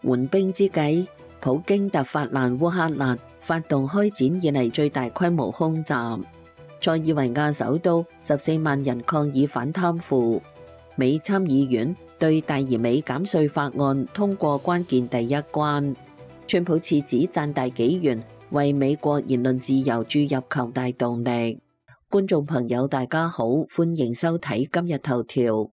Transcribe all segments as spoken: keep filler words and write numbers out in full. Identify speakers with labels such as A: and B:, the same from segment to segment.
A: 緩兵之際，普京突發難烏克蘭，發動開展以嚟最大規模空襲。塞爾維亞首都十四萬人抗議反貪腐。美參議院對大而美減稅法案通過關鍵第一關。川普賜子讚大紀元，為美國言論自由注入強大動力。觀眾朋友大家好，歡迎收睇今日頭條。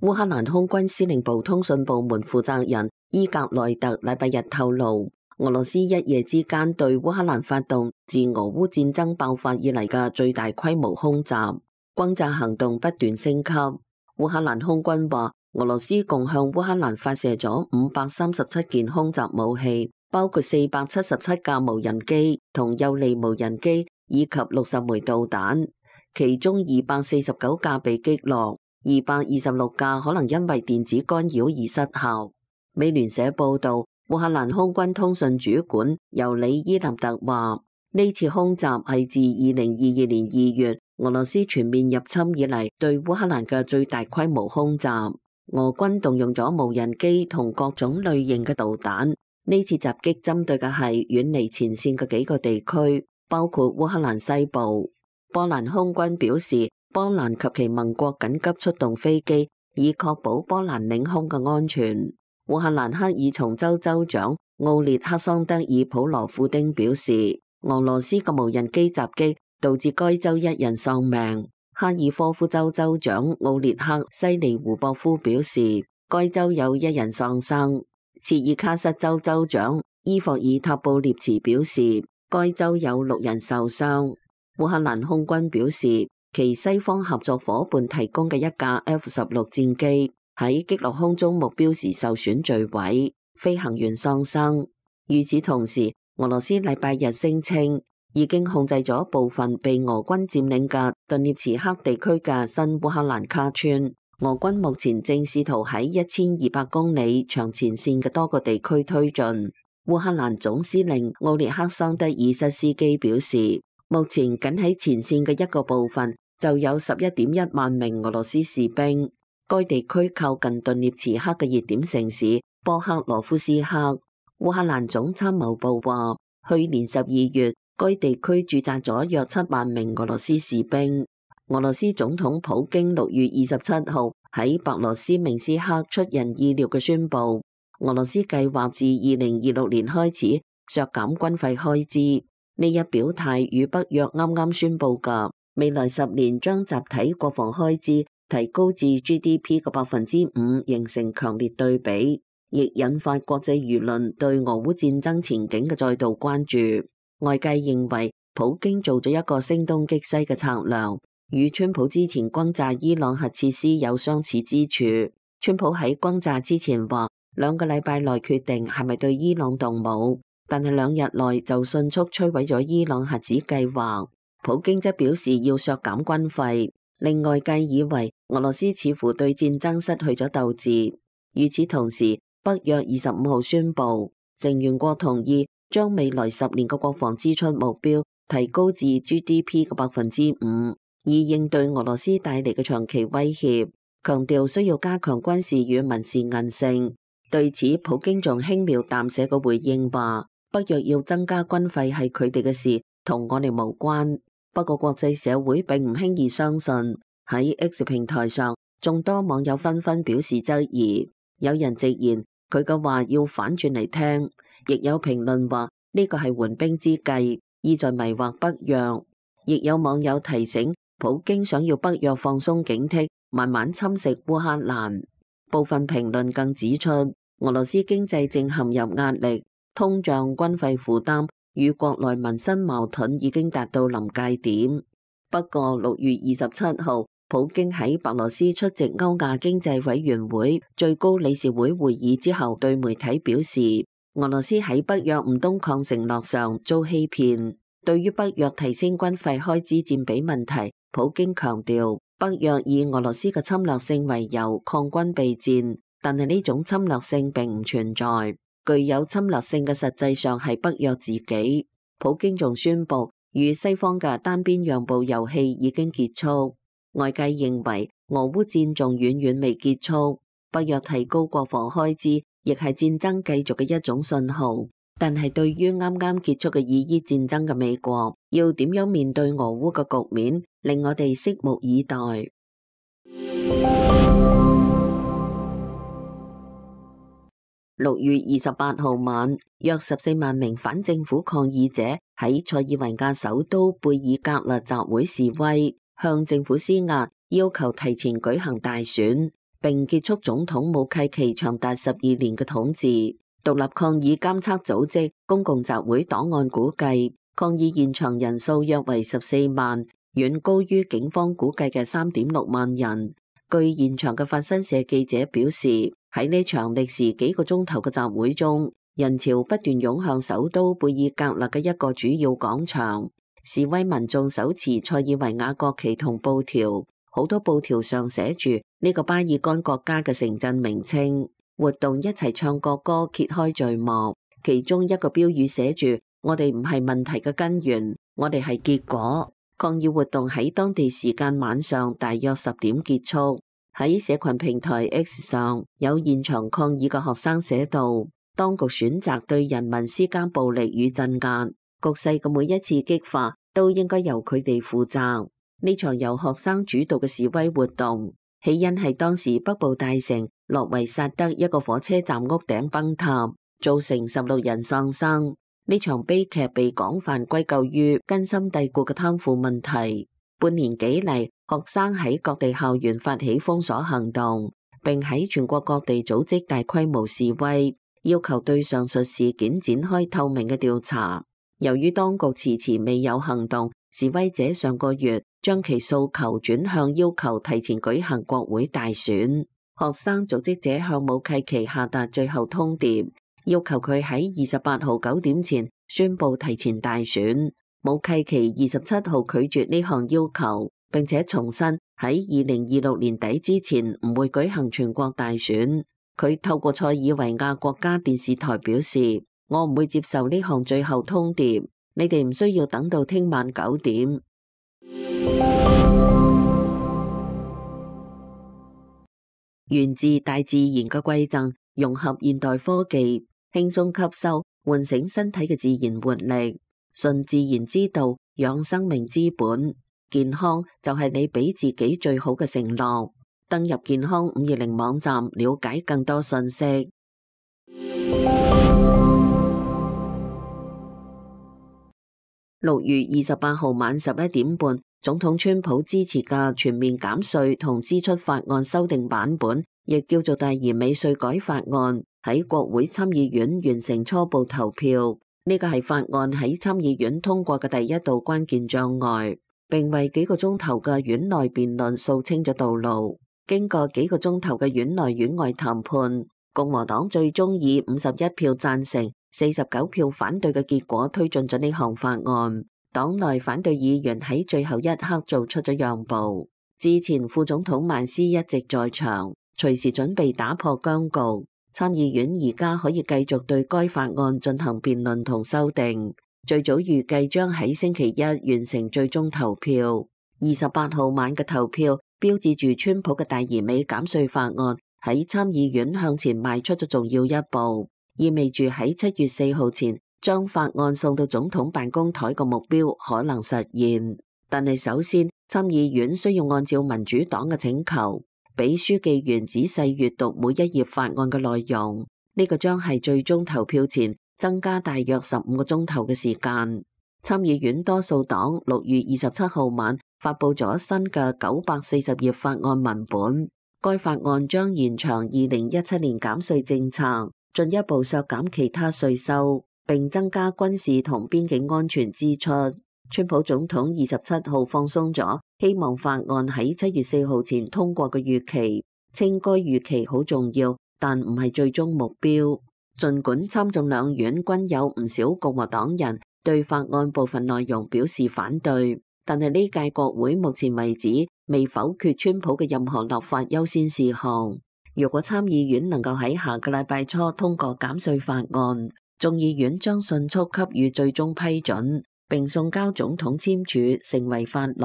A: 烏克蘭空軍司令部通訊部門負責人伊格內特禮拜日透露，俄羅斯一夜之間對烏克蘭發動自俄烏戰爭爆發以嚟嘅最大規模空襲，轟炸行動不斷升級。烏克蘭空軍話，俄羅斯共向烏克蘭發射咗五百三十七件空襲武器，包括四百七十七架無人機同幼利無人機，以及六十枚導彈，其中二百四十九架被擊落。二百二十六架可能因為電子干擾而失效。美聯社報道，烏克蘭空軍通訊主管尤里伊納特話，呢次空襲係自二零二二年二月俄羅斯全面入侵以嚟對烏克蘭嘅最大規模空襲。俄軍動用咗無人機同各種類型嘅導彈。呢次襲擊針對嘅係遠離前線嘅幾個地區，包括烏克蘭西部。波蘭空軍表示，波蘭及其盟國緊急出動飛機，以確保波蘭領空嘅安全。烏克蘭克爾松州州長奧列克桑德爾普羅夫丁表示，俄羅斯嘅無人機襲擊導致該州一人喪命。哈爾科夫州州長奧列克西尼胡博夫表示，該州有一人喪生。切爾卡什州州長伊霍爾塔布列茨表示，該州有六人受傷。烏克蘭空軍表示，其西方合作夥伴提供嘅一架 F 十六戰機喺擊落空中目標時受損墜毀，飛行員喪生。與此同時，俄羅斯禮拜日聲稱已經控制咗部分被俄軍佔領嘅頓涅茨克地區嘅新烏克蘭卡村。俄軍目前正試圖喺一千二百公里長前線嘅多個地區推進。烏克蘭總司令奧列克桑德爾塞斯基表示，目前僅喺前線嘅一個部分就有十一點一萬名俄羅斯士兵。該地區靠近頓涅茨克嘅熱點城市波克羅夫斯克。烏克蘭總參謀部話，去年十二月，該地區駐紮咗約七萬名俄羅斯士兵。俄羅斯總統普京六月二十七號喺白羅斯明斯克出人意料嘅宣布，俄羅斯計劃自二零二六年開始削減軍費開支。呢一表態與北約啱啱宣布嘅未來十年將集體國防開支提高至 G D P 嘅百分之五形成強烈對比，亦引發國際輿論對俄烏戰爭前景嘅再度關注。外界認為普京做咗一個聲東擊西嘅策略，與川普之前轟炸伊朗核設施有相似之處。川普喺轟炸之前話，兩個禮拜內決定係咪對伊朗動武，但係兩日內就迅速摧毀咗伊朗核子計劃。普京則表示要削減軍費，令外界以為俄羅斯似乎對戰爭失去咗鬥志。與此同時，北約二十五號宣布，成員國同意將未來十年嘅國防支出目標提高至 G D P 嘅百分之五，以應對俄羅斯帶嚟嘅長期威脅，強調需要加強軍事與民事韌性。對此，普京仲輕描淡寫嘅回應話，北約要增加軍費係佢哋嘅事，同我哋無關。不過國際社會並唔輕易相信。喺 X 平台上，眾多網友紛紛表示質疑，有人直言佢嘅話要反轉嚟聽，亦有評論話呢個係緩兵之計，意在迷惑北約。亦有網友提醒普京想要北約放鬆警惕，慢慢侵蝕烏克蘭。部分評論更指出，俄羅斯經濟正陷入壓力，通脹、軍費負擔與國內民生矛盾已經達到臨界點。不過六月二十七號，普京喺白羅斯出席歐亞經濟委員會最高理事會會議之後，對媒體表示，俄羅斯喺北約唔東擴承諾上遭欺騙。對於北約提升軍費開支佔比問題，普京強調，北約以俄羅斯嘅侵略性為由抗軍備戰，但係呢種侵略性並唔存在。具有侵略性嘅實際上係北約自己。普京仲宣布，與西方嘅單邊讓步遊戲已經結束。外界認為俄烏戰仲遠遠未結束，北約提高國防開支，亦係戰爭繼續嘅一種信號。但係對於啱啱結束嘅以伊戰爭嘅美國，要點樣面對俄烏嘅局面，令我哋拭目以待。六月二十八號晚，約十四萬名反政府抗議者喺塞爾維亞首都貝爾格勒集會示威，向政府施壓，要求提前舉行大選，並結束總統武契奇長達十二年嘅統治。獨立抗議監測組織公共集會檔案估計，抗議現場人數約為十四萬，遠高於警方估計嘅三點六萬人。據現場嘅法新社記者表示，喺呢場歷時幾個鐘頭嘅集會中，人潮不斷湧向首都貝爾格勒嘅一個主要廣場。示威民眾手持塞爾維亞國旗同布條，好多布條上寫住呢個巴爾幹國家嘅城鎮名稱。活動一齊唱國歌，揭開序幕。其中一個標語寫住：我哋唔係問題嘅根源，我哋係結果。抗議活動喺當地時間晚上大約十點結束。喺社群平台 X 上，有現場抗議嘅學生寫道：當局選擇對人民施加暴力與鎮壓，局勢嘅每一次激化都應該由佢哋負責。呢場由學生主導嘅示威活動，起因係當時北部大城諾維薩德一個火車站屋頂崩塌，造成十六人喪生。呢場悲劇被廣泛歸咎於根深蒂固嘅貪腐問題。半年幾嚟，學生喺各地校園發起封鎖行動，並喺全國各地組織大規模示威，要求對上述事件展開透明嘅調查。由於當局遲遲未有行動，示威者上個月將其訴求轉向要求提前舉行國會大選。學生組織者向武契奇下達最後通牒，要求佢喺二十八號九點前宣布提前大選。武契奇二十七號拒絕呢項要求，並且重申喺二零二六年底之前唔會舉行全國大選。佢透過塞爾維亞國家電視台表示：我唔會接受呢項最後通牒，你哋唔需要等到聽晚九點。源自大自然嘅饋贈，融合現代科技，輕鬆吸收，喚醒身體嘅自然活力。順自然之道，養生命之本。健康就係你俾自己最好嘅承諾。登入健康五二零網站，了解更多信息。六月二十八號晚十一點半，總統川普支持嘅全面減稅同支出法案修訂版本，亦叫做第二美稅改法案，喺國會參議院完成初步投票。呢個係法案喺參議院通過嘅第一道關鍵障礙，並為幾個鐘頭嘅院內辯論掃清咗道路。經過幾個鐘頭嘅院內院外談判，共和黨最終以五十一票贊成、四十九票反對嘅結果推進咗呢項法案。黨內反對議員喺最後一刻做出咗讓步。之前副總統曼斯一直在場，隨時準備打破僵局。參議院而家可以繼續對該法案進行辯論同修訂，最早預計將喺星期一完成最終投票。二十八號晚嘅投票標誌住川普嘅第二美減稅法案喺參議院向前邁出咗重要一步，意味住喺七月四號前將法案送到總統辦公台嘅目標可能實現。但係首先，參議院需要按照民主黨嘅請求，俾書記員仔細閱讀每一頁法案嘅內容，呢個將係最終投票前增加大約十五個鐘頭嘅時間。參議院多數黨六月二十七號晚發佈咗新嘅九百四十頁法案文本，該法案將延長二零一七年減稅政策，進一步削減其他稅收，並增加軍事同邊境安全支出。川普總統二十七號放鬆咗希望法案喺七月四號前通過嘅預期，稱該預期好重要，但唔係最終目標。儘管參眾兩院均有唔少共和黨人對法案部分內容表示反對，但係呢屆國會目前為止未否決川普嘅任何立法優先事項。如果參議院能夠喺下個禮拜初通過減稅法案，眾議院將迅速給予最終批准，並送交總統簽署，成為法律。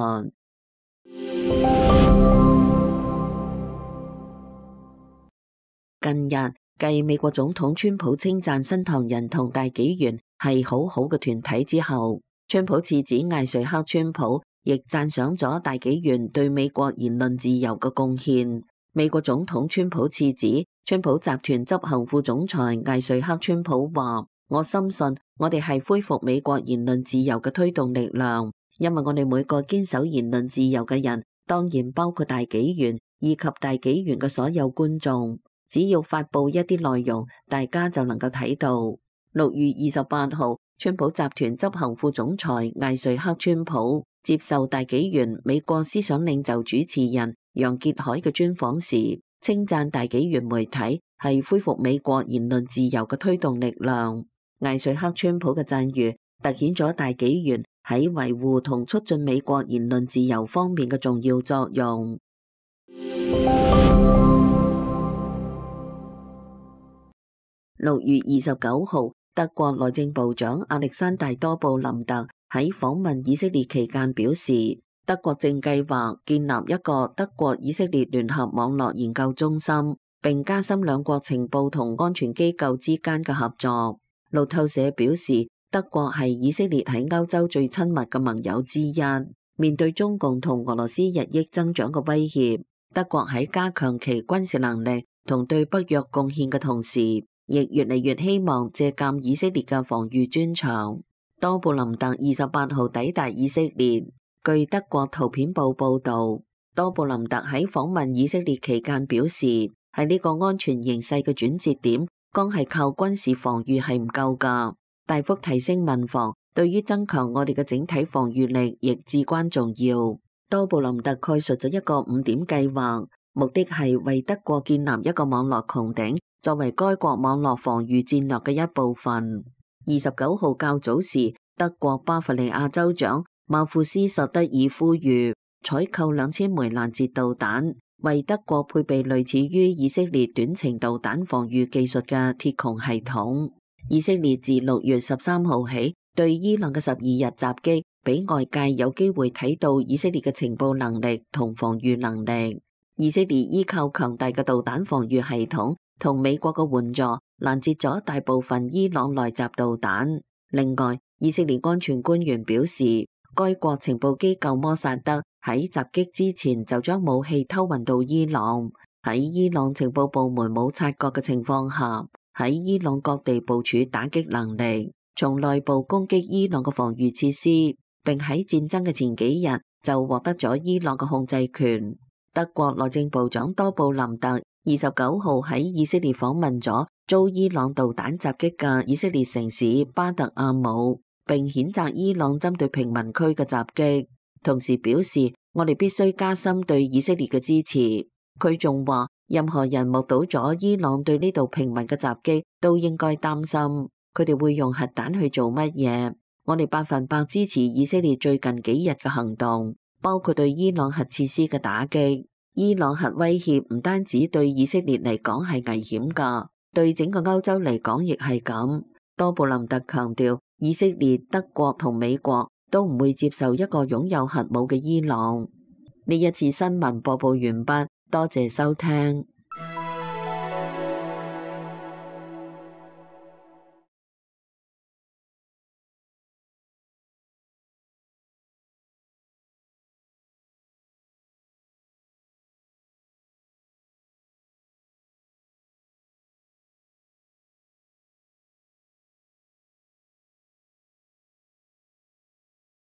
A: 近日，繼美國總統川普稱讚新唐人同大紀元係好好嘅團體之後，川普次子艾瑞克川普亦讚賞咗大紀元對美國言論自由嘅貢獻。美國總統川普次子、川普集團執行副總裁艾瑞克川普話：我深信我哋係恢復美國言論自由嘅推動力量，因為我哋每個堅守言論自由嘅人，當然包括大紀元以及大紀元嘅所有觀眾，只要發布一啲內容，大家就能夠睇到。六月二十八號，川普集團執行副總裁艾瑞克川普接受大紀元美國思想領袖主持人楊潔海嘅專訪時，稱讚大紀元媒體係恢復美國言論自由嘅推動力量。艾瑞克川普嘅讚譽凸顯咗大紀元喺維護同促進美國言論自由方面嘅重要作用。六月二十九號，德國內政部長亞歷山大多布林特喺訪問以色列期間表示，德國正計劃建立一個德國以色列聯合網絡研究中心，並加深兩國情報同安全機構之間嘅合作。路透社表示，德國係以色列喺歐洲最親密嘅盟友之一。面對中共同俄羅斯日益增長嘅威脅，德國喺加強其軍事能力同對北約貢獻嘅同時，亦越嚟越希望借鑒以色列嘅防禦專長。多布林特二十八號抵達以色列。據德國圖片報報導，多布林特喺訪問以色列期間表示，喺呢個安全形勢嘅轉折點，光係靠軍事防禦係唔夠㗎，大幅提升民防對於增強我哋嘅整體防禦力亦至關重要。多布林特概述咗一個五點計劃，目的係為德國建立一個網絡穹頂，作為該國網絡防禦戰略嘅一部分。二十九號較早時，德國巴伐利亞州長馬庫斯·索德爾呼籲採購兩千枚攔截導彈，為德國配備類似於以色列短程導彈防禦技術嘅鐵穹系統。以色列自六月十三號起對伊朗嘅十二日襲擊，俾外界有機會睇到以色列嘅情報能力同防禦能力。以色列依靠強大嘅導彈防禦系統同美國嘅援助，攔截咗大部分伊朗來襲導彈。另外，以色列安全官員表示，該國情報機構摩薩德喺襲擊之前就將武器偷運到伊朗，喺伊朗情報部門冇察覺嘅情況下，喺伊朗各地部署打擊能力，從內部攻擊伊朗嘅防禦設施，並喺戰爭嘅前幾日就獲得咗伊朗嘅控制權。德國內政部長多布林特二十九號喺以色列訪問咗遭伊朗導彈襲擊嘅以色列城市巴特阿姆，並譴責伊朗針對平民區嘅襲擊，同時表示我哋必須加深對以色列嘅支持。佢仲話，任何人目睹咗伊朗對呢度平民嘅襲擊，都應該擔心佢哋會用核彈去做乜嘢。我哋百分百支持以色列最近幾日嘅行動，包括對伊朗核設施嘅打擊。伊朗核威脅唔單止對以色列嚟講係危險㗎，對整個歐洲嚟講亦係咁。多布林特強調，以色列、德國同美國都唔會接受一個擁有核武嘅伊朗。呢一次新聞播報完畢，多謝收聽。